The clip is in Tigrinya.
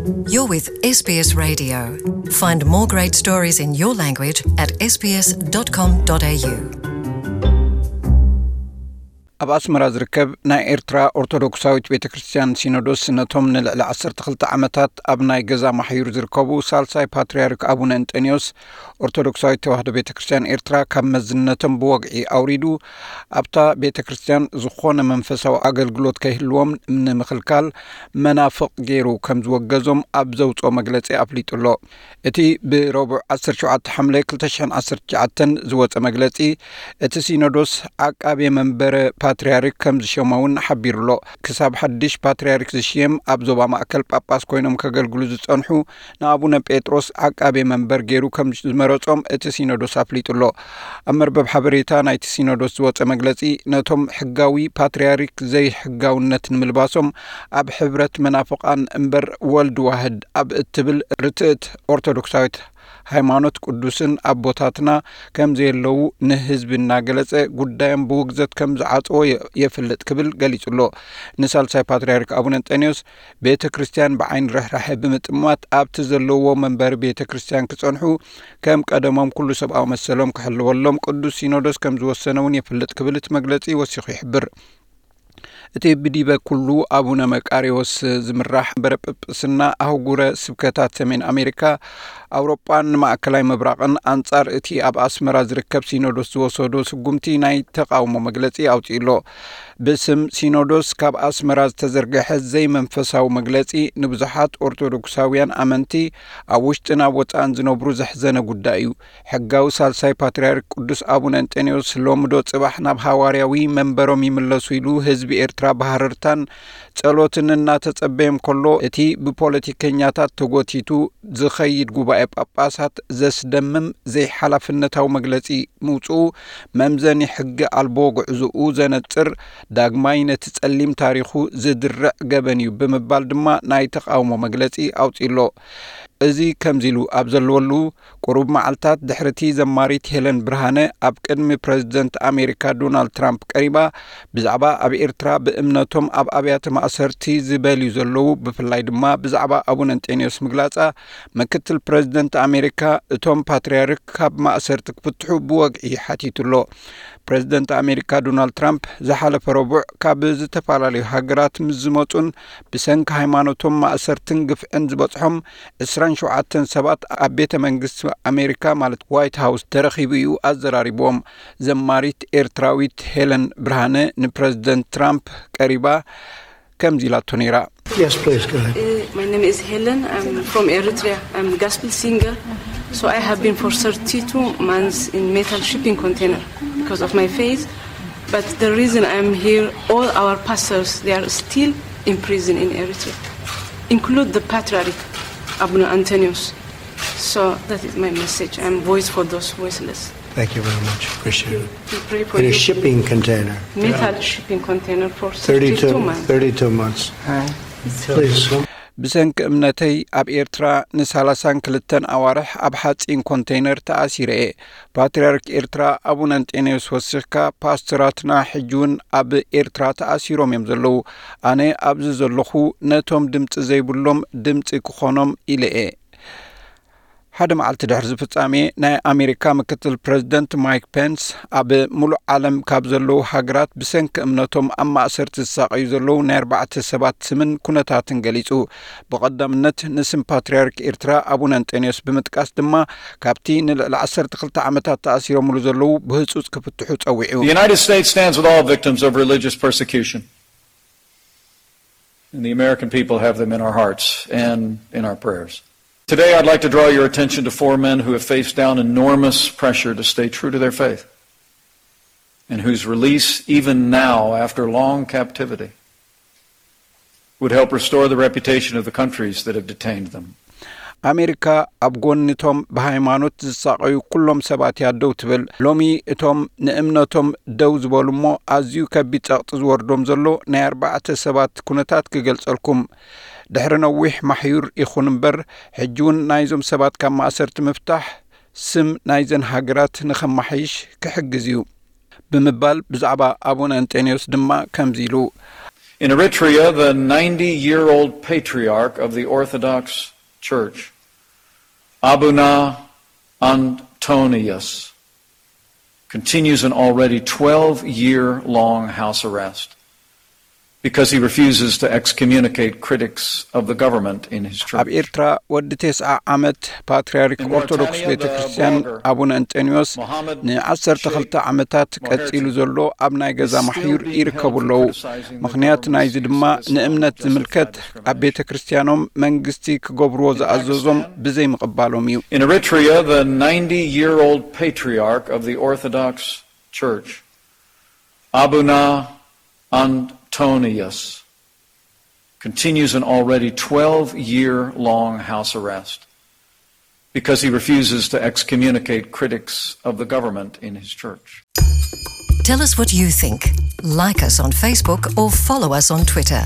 You're with S B S Radio. Find more great stories in your language at S B S dot com dot A U. ኣብ ኣስመራ ዝርከብ ናይ ኤርትራ ኦርቶዶክሳዊት ቤተ ክርስቲያን ሲኖዶስ ነቶም ንልዕሊ ዓሰርተ ክልተ ዓመታት ኣብ ናይ ገዛ ማሕዩር ዝርከቡ ሳልሳይ ፓትርያርክ ኣቡነ እንጠንዮስ ኦርቶዶክሳዊት ተዋህዶ ቤተ ክርስቲያን ኤርትራ ካብ መዝነቶም ብወግዒ ኣውሪዱ ኣብታ ቤተ ክርስቲያን ዝኾነ መንፈሳዊ ኣገልግሎት ከይህልዎም ንምኽልካል መናፍቕ ገይሩ ከም ዝወገዞም ኣብ ዘውፅኦ መግለፂ ኣፍሊጡ ኣሎ። እቲ ብረቡዕ ዓሰርተ ሸውዓተ ሓምለ ክልተ ሽሕን ዓሰርተ ትሽዓተን ዝወፀ መግለፂ እቲ ሲኖዶስ ዓቃቤ መንበረ ፓትርያርክ ከም ዝሸሞ እውን ሓቢሩ ኣሎ። ክሳብ ሓድሽ ፓትርያርክ ዝሽየም ኣብ ዞባ ማእከል ጳጳስ ኮይኖም ከገልግሉ ዝፀንሑ ንኣቡነ ጴጥሮስ ዓቃቤ መንበር ገይሩ ከም ዝመረጾም እቲ ሲኖዶስ ኣፍሊጡ ኣሎ። ኣብ መርበብ ሓበሬታ ናይቲ ሲኖዶስ ዝወጸ መግለጺ ነቶም ሕጋዊ ፓትርያርክ ዘይሕጋውነት ንምልባሶም ኣብ ሕብረት መናፍቓን እምበር ወልድ ዋህድ ኣብ እትብል ርትዕት ኦርቶዶክሳዊት ሃይማኖት ቅዱስን ኣቦታትና ከም ዘየለዉ ንህዝቢ እናገለጸ ጉዳዮም ብውግዘት ከም ዝዓጸዎ የ- የፍልጥ ክብል ገሊጹ ኣሎ። ንሳልሳይ ፓትርያርክ ኣቡነ እንጠንዮስ ቤተ ክርስቲያን ብዓይኒ ርሕራሐ ብምጥማት ኣብቲ ዘለውዎ መንበሪ ቤተ ክርስቲያን ክጸንሑ ከም ቀደሞም ኩሉ ሰብኣዊ መሰሎም ክሕልወሎም ቅዱስ ሲኖዶስ ከም ዝወሰነ እውን የፍልጥ ክብል እቲ መግለጺ ወሲኹ ይሕብር። እቲ ብዲበ ኩሉ ኣቡነ መቃሪዎስ ዝምራሕ መንበረ ጵጵስና ኣህጉረ ስብከታት ሰሜን ኣሜሪካ፣ ኣውሮጳን ማእከላይ ምብራቕን ኣንጻር እቲ ኣብ ኣስመራ ዝርከብ ሲኖዶስ ዝወሰዶ ስጉምቲ ናይ ተቓውሞ መግለጺ ኣውጺኡ ኣሎ። ብስም ሲኖዶስ ካብ ኣስመራ ዝተዘርግሐ ዘይመንፈሳዊ መግለጺ ንብዙሓት ኦርቶዶክሳውያን ኣመንቲ ኣብ ውሽጥን ኣብ ወጻእን ዝነብሩ ዘሕዘነ ጉዳይ እዩ። ሕጋዊ ሳልሳይ ፓትርያርክ ቅዱስ ኣቡነ እንጠንዮስ ሎሚ ዶ ጽባሕ ናብ ሃዋርያዊ መንበሮም ይምለሱ ኢሉ ህዝቢ ኤርትራ ብሃረርታን ጸሎትን እናተጸበየ እንከሎ፣ እቲ ብፖለቲከኛታት ተጎቲቱ ዝኸይድ ጉባኤ ጳጳሳት ዘስደምም ዘይሓላፍነታዊ መግለጺ ምውጽኡ መምዘኒ ሕጊ ኣልቦ ጉዕዞኡ ዘነጽር፣ ዳግማይ ነቲ ጸሊም ታሪኹ ዝድርዕ ገበን እዩ ብምባል ድማ ናይ ተቓውሞ መግለጺ ኣውጺኡ ኣሎ። እዚ ከምዚ ኢሉ ኣብ ዘለወሉ፣ ቁሩብ መዓልታት ድሕሪ እቲ ዘማሪት ሄለን ብርሃነ ኣብ ቅድሚ ፕረዚደንት ኣሜሪካ ዶናልድ ትራምፕ ቀሪባ፣ ብዛዕባ ኣብ ኤርትራ ብእምነቶም ኣብ ኣብያተ ማእሰርቲ ዝበልዩ ዘለዉ፣ ብፍላይ ድማ ብዛዕባ ኣቡነ እንጤንዮስ ምግላጻ፣ ምክትል ፕረዚደንት ኣሜሪካ እቶም ፓትርያርክ ካብ ማእሰርቲ ክፍትሑ ብወግዒ ሓቲቱ ኣሎ። ፕረዚደንት ኣሜሪካ ዶናልድ ትራምፕ ዝሓለፈ ረቡዕ ካብ ዝተፈላለዩ ሃገራት ምስ ዝመጹን ብሰንኪ ሃይማኖቶም ማእሰርትን ግፍዕን ዝበጽሖም ዕስራን ሸውዓተን ሰባት ኣብ ቤተ መንግስቲ ኣሜሪካ ማለት ዋይት ሃውስ ተረኺቡ እዩ ኣዘራሪብዎም። ዘማሪት ኤርትራዊት ሄለን ብርሃነ ንፕረዚደንት ትራምፕ ቀሪባ ከምዚ ኢላቶ ነይራ። Yes, please, go ahead. Uh, my name is Helen. I'm from Eritrea. I'm a gospel singer. So I have been for thirty-two months in metal shipping container because of my faith. But the reason I'm here, all our pastors, they are still in prison in Eritrea, include the Patriarch Abuna Antonius. So that is my message. I'm voice for those voiceless. Thank you very much. Appreciate it. We pray for In a you. Shipping container. Metal shipping container for thirty-two, thirty-two months. Thirty-two months. Please. ብሰንኪ እምነተይ ኣብ ኤርትራ ንሳላሳን ክልተን ኣዋርሕ ኣብ ሓጺን ኮንቴይነር ተኣሲረ እየ። ፓትርያርክ ኤርትራ ኣቡነ እንጤንዮስ ወሲኽካ፣ ፓስተራትና ሕጂ እውን ኣብ ኤርትራ ተኣሲሮም እዮም ዘለዉ። ኣነ ኣብዚ ዘለኹ ነቶም ድምጺ ዘይብሎም ድምጺ ክኾኖም ኢለ እየ። ሓደ መዓልቲ ድሕሪ እዚ ፍጻሜ፣ ናይ ኣሜሪካ ምክትል ፕረዚደንት ማይክ ፔንስ ኣብ ሙሉእ ዓለም ካብ ዘለዉ ሃገራት ብሰንኪ እምነቶም ኣብ ማእሰርቲ ዝሳቐዩ ዘለዉ ናይ ኣርባዕተ ሰባት ስምን ኩነታትን ገሊጹ። ብቐዳምነት ንስም ፓትርያርክ ኤርትራ ኣቡነ እንጠንዮስ ብምጥቃስ ድማ ካብቲ ንልዕሊ ዓሰርተ ክልተ ዓመታት ተኣሲሮምሉ ዘለዉ ብህጹጽ ክፍትሑ ጸዊዑ። The United States stands with all victims of religious persecution. And the American people have them in our hearts and in our prayers. Today, I'd like to draw your attention to four men who have faced down enormous pressure to stay true to their faith, and whose release, even now, after long captivity, would help restore the reputation of the countries that have detained them. ኣሜሪካ ኣብ ጎኒቶም ብሃይማኖት ዝሳቐዩ ኩሎም ሰባት እያ ደው ትብል። ሎሚ እቶም ንእምነቶም ደው ዝበሉ እሞ ኣዝዩ ከቢድ ጸቕጢ ዝወርዶም ዘሎ ናይ ኣርባዕተ ሰባት ኩነታት ክገልጸልኩም። ድሕሪ ነዊሕ ማሕዩር ይኹን እምበር፣ ሕጂ እውን ናይዞም ሰባት ካብ ማእሰርቲ ምፍታሕ ስም ናይዘን ሃገራት ንኸማሓይሽ ክሕግዝ እዩ ብምባል ብዛዕባ ኣቡነ እንጤንዮስ ድማ ከምዚ ኢሉ። In Eritrea, the ninety year old patriarch of the Orthodox Church, Abuna Antonius, continues an already twelve year long house arrest because he refuses to excommunicate critics of the government in his church. ኣብ ኤርትራ ወዲ ተስዓ ዓመት ፓትርያርክ ኦርቶዶክስ ቤተ ክርስቲያን ኣቡነ እንጠንዮስ ንዓሰርተ ክልተ ዓመታት ቀጺሉ ዘሎ ኣብ ናይ ገዛ ማሕዩር ይርከቡ ኣለዉ። ምኽንያት ናይዚ ድማ ንእምነት ዝምልከት ኣብ ቤተ ክርስቲያኖም መንግስቲ ክገብርዎ ዝኣዘዞም ብዘይምቕባሎም እዩ። In Eritrea, the ninety year old patriarch of the Orthodox Church, Abuna Antonius, continues an already twelve year long house arrest because he refuses to excommunicate critics of the government in his church. Tell us what you think. Like us on Facebook or follow us on Twitter.